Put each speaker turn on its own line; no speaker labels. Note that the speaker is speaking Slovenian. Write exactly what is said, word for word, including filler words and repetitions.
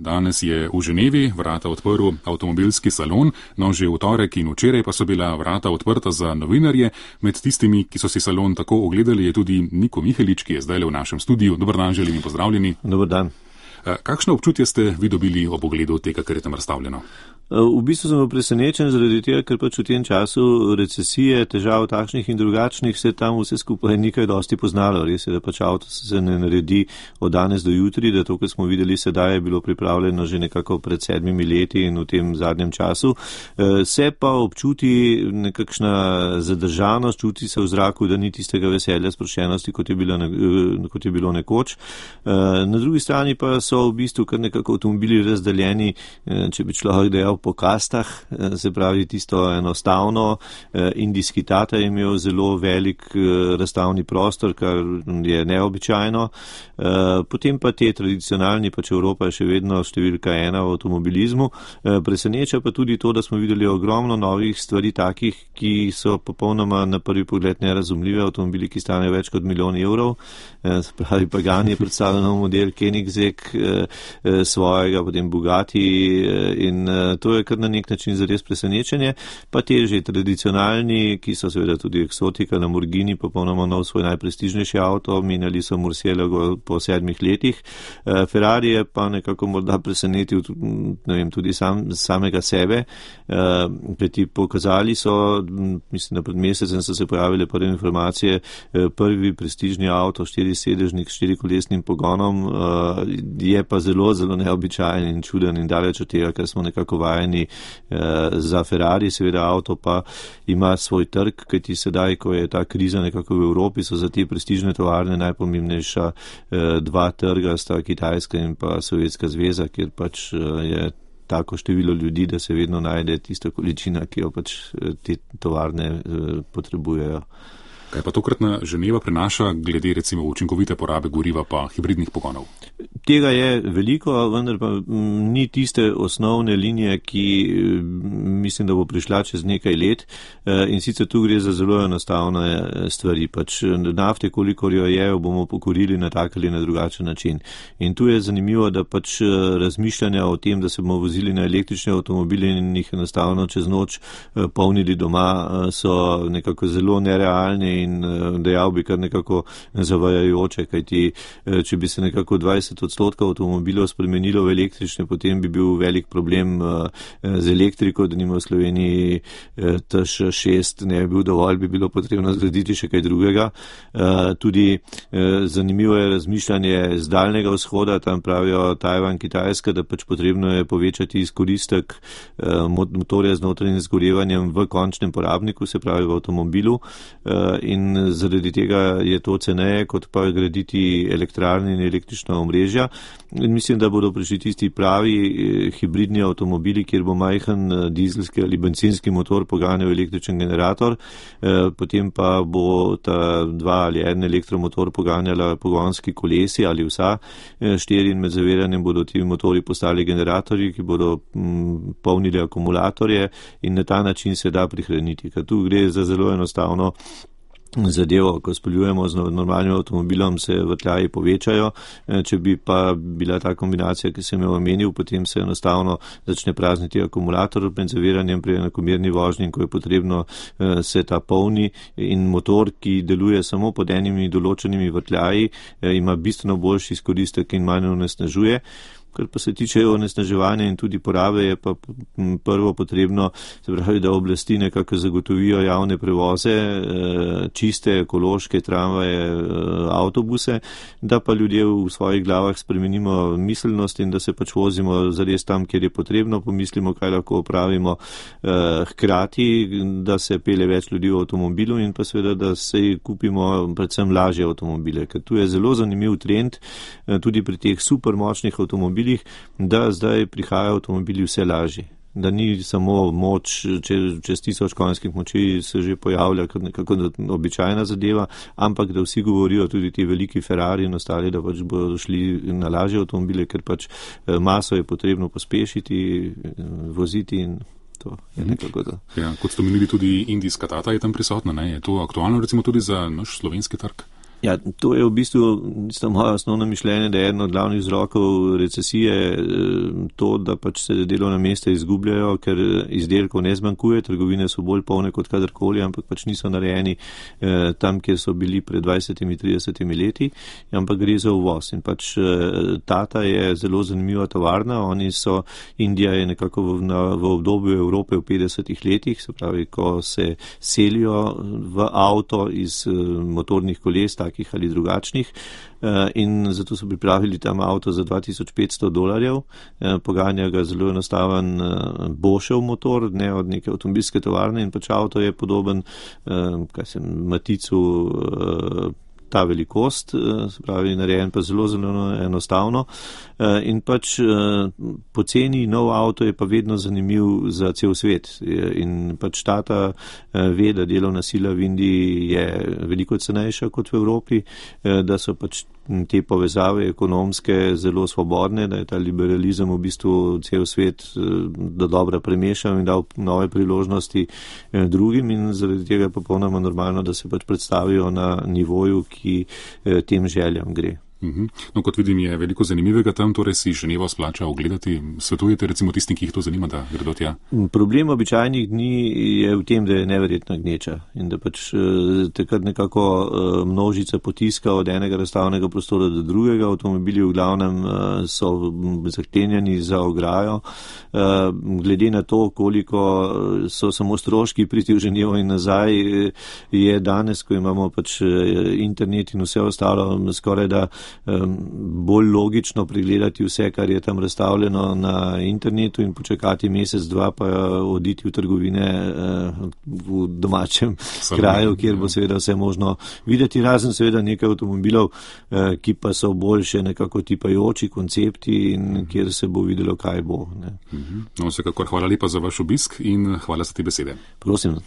Danes je v Ženevi vrata odprl avtomobilski salon, no že v torek in včeraj pa so bila vrata odprta za novinarje. Med tistimi, ki so si salon tako ogledali, je tudi Niko Mihelič, ki je zdaj le v našem studiu. Dobar dan, želim in pozdravljeni.
Dobar dan.
Kakšno občutje ste vi dobili ob ogledu tega, kar je tam razstavljeno?
V bistvu sem presenečen zaradi tega, ker pač v tem času recesije, težav takšnih in drugačnih se tam vse skupaj nekaj dosti poznalo. Res je, da pač avto se ne naredi od danes do jutri, da to, kar smo videli sedaj, je bilo pripravljeno že nekako pred sedmimi leti in v tem zadnjem času. Se pa občuti nekakšna zadržanost, čuti se v zraku, da ni tistega veselja, sproščenosti, kot je bilo, kot je bilo nekoč. Na drugi strani pa so v bistvu kar nekako avtomobili razdeljeni, če bi človek dejal, po kastah, se pravi tisto enostavno. Indijski Tata je imel zelo velik razstavni prostor, kar je neobičajno. Potem pa te tradicionalni, pač Evropa je še vedno številka ena v avtomobilizmu. Preseneča pa tudi to, da smo videli ogromno novih stvari takih, ki so popolnoma na prvi pogled nerazumljive, avtomobili, ki stanejo več kot milijon evrov. Se pravi, Pagani je predstavljen nov model, Koenigsegg svojega, potem Bugatti in to je kar na nek način zares presenečenje, pa te že tradicionalni, ki so seveda tudi eksotika, Lamborghini, popolnoma nov svoj najprestižnejši avto, menjali so Murcielago po sedmih letih. Ferrari je pa nekako morda presenetil, ne vem, tudi sam, samega sebe, kajti pokazali so, mislim, da pred mesecem so se pojavile prve informacije, prvi prestižni avto, štirisedežnik s štirikolesnim pogonom, je pa zelo, zelo neobičajen in čuden in daleč od tega, kar smo nekako vajeni za Ferrari. Seveda avto pa ima svoj trg, kajti sedaj, ko je ta kriza nekako v Evropi, so za te prestižne tovarne najpomembnejša dva trga, sta Kitajska in pa Sovjetska zveza, kjer pač je tako število ljudi, da se vedno najde tista količina, ki jo pač te tovarne potrebujejo.
Kaj pa tokratna Ženeva prinaša glede recimo učinkovite porabe goriva pa hibridnih pogonov?
Tega je veliko, vendar pa ni tiste osnovne linije, ki mislim, da bo prišla čez nekaj let, in sicer tu gre za zelo enostavne stvari. Pač nafte, kolikor jo je, jo bomo pokurili na tak ali na drugačen način. In tu je zanimivo, da pač razmišljanja o tem, da se bomo vozili na električne avtomobile in jih enostavno čez noč polnili doma, so nekako zelo nerealne in dejal bi kar nekako zavajajoče, kajti če bi se nekako dvajset odstotkov avtomobilov spremenilo v električne, potem bi bil velik problem z elektriko, da nima v Sloveniji T Š šest ne bi bil dovolj, bi bilo potrebno zgraditi še kaj drugega. Tudi zanimivo je razmišljanje z daljnega vzhoda, tam pravijo Tajvan, Kitajska, da pač potrebno je povečati izkoristek motorja z notranjim zgorevanjem v končnem porabniku, se pravi v avtomobilu, in zaradi tega je to ceneje, kot pa graditi elektrarne in električna omrežja. In mislim, da bodo prišli tisti pravi hibridni avtomobili, kjer bo majhen dizelski ali bencinski motor poganjal električen generator, potem pa bo ta dva ali en elektromotor poganjala pogonski kolesi ali vsa štiri in med zaviranjem bodo ti motori postali generatorji, ki bodo polnili akumulatorje in na ta način se da prihraniti, ker tu gre za zelo enostavno zadevo, ko speljujemo z normalnim avtomobilom, se vrtljaji povečajo, če bi pa bila ta kombinacija, ki sem jo omenil, potem se enostavno začne prazniti akumulator med zaviranjem pri enakomerni vožnji, ko je potrebno se ta polni in motor, ki deluje samo pod enimi določenimi vrtljaji, ima bistveno boljši izkoristek in manj onesnažuje. Kar pa se tiče onesnaževanja in tudi porabe, je pa prvo potrebno, se pravi, da oblasti nekako zagotovijo javne prevoze, čiste, ekološke tramvaje, avtobuse, da pa ljudje v svojih glavah spremenimo miselnost in da se pač vozimo zares tam, kjer je potrebno, pomislimo, kaj lahko opravimo hkrati, da se pele več ljudi v avtomobilu in pa seveda, da se kupimo predvsem lažje avtomobile, ker tu je zelo zanimiv trend tudi pri teh supermočnih avtomobilih, da zdaj prihajajo avtomobili vse lažji. Da ni samo moč, če, čez tisoč konjskih moči se že pojavlja kot nekako običajna zadeva, ampak da vsi govorijo, tudi ti veliki Ferrari in ostali, da pač bodo šli na lažje avtomobile, ker pač maso je potrebno pospešiti, voziti in to je nekako to.
Ja, kot ste omenili, tudi indijska Tata je tam prisotna, ne? Je to aktualno recimo tudi za naš slovenski trg?
Ja, to je v bistvu moje osnovno mišljenje, da je eno od glavnih vzrokov recesije to, da pač se delovna mesta izgubljajo, ker izdelkov ne zmanjkuje, trgovine so bolj polne kot kadarkoli, ampak pač niso narejeni eh, tam, kjer so bili pred dvajsetimi, tridesetimi leti, ampak gre za uvoz. In pač eh, Tata je zelo zanimiva tovarna, oni so, Indija je nekako v, na, v obdobju Evrope v petdesetih letih, se pravi, ko se selijo v avto iz eh, motornih koles, ali drugačnih, in zato so pripravili tam avto za dva tisoč petsto dolarjev, poganja ga zelo enostaven Boschov motor, ne od neke avtomobilske tovarne, in pač avto je podoben, kaj se, Maticu, ta velikost, se pravi, narejen pa zelo, zelo enostavno. In pač poceni nov avto je pa vedno zanimiv za cel svet. In pač Tata ve, da delovna sila v Indiji je veliko cenejša kot v Evropi, da so pač te povezave ekonomske zelo svobodne, da je ta liberalizem v bistvu cel svet do dobra premešal in dal nove priložnosti drugim in zaradi tega je popolnoma normalno, da se pač predstavijo na nivoju, ki tem željam gre.
No, kot vidim, je veliko zanimivega tam, torej si Ženevo splača ogledati. Svetujete recimo tistim, ki jih to zanima, da gredo tja?
Problem običajnih dni je v tem, da je neverjetno gneča in da pač takrat nekako množica potiska od enega razstavnega prostora do drugega. Avtomobili v glavnem so zaklenjeni za ograjo. Glede na to, koliko so samo stroški priti v Ženevo in nazaj, je danes, ko imamo pač internet in vse ostalo, skoraj da bolj logično pregledati vse, kar je tam razstavljeno na internetu in počakati mesec, dva, pa oditi v trgovine v domačem Salon, kraju, kjer bo seveda vse možno videti, razen seveda nekaj avtomobilov, ki pa so boljše nekako tipajoči koncepti in kjer se bo videlo, kaj bo. Ne.
No, vsekakor hvala lepa za vaš obisk in hvala za te besede.
Prosim.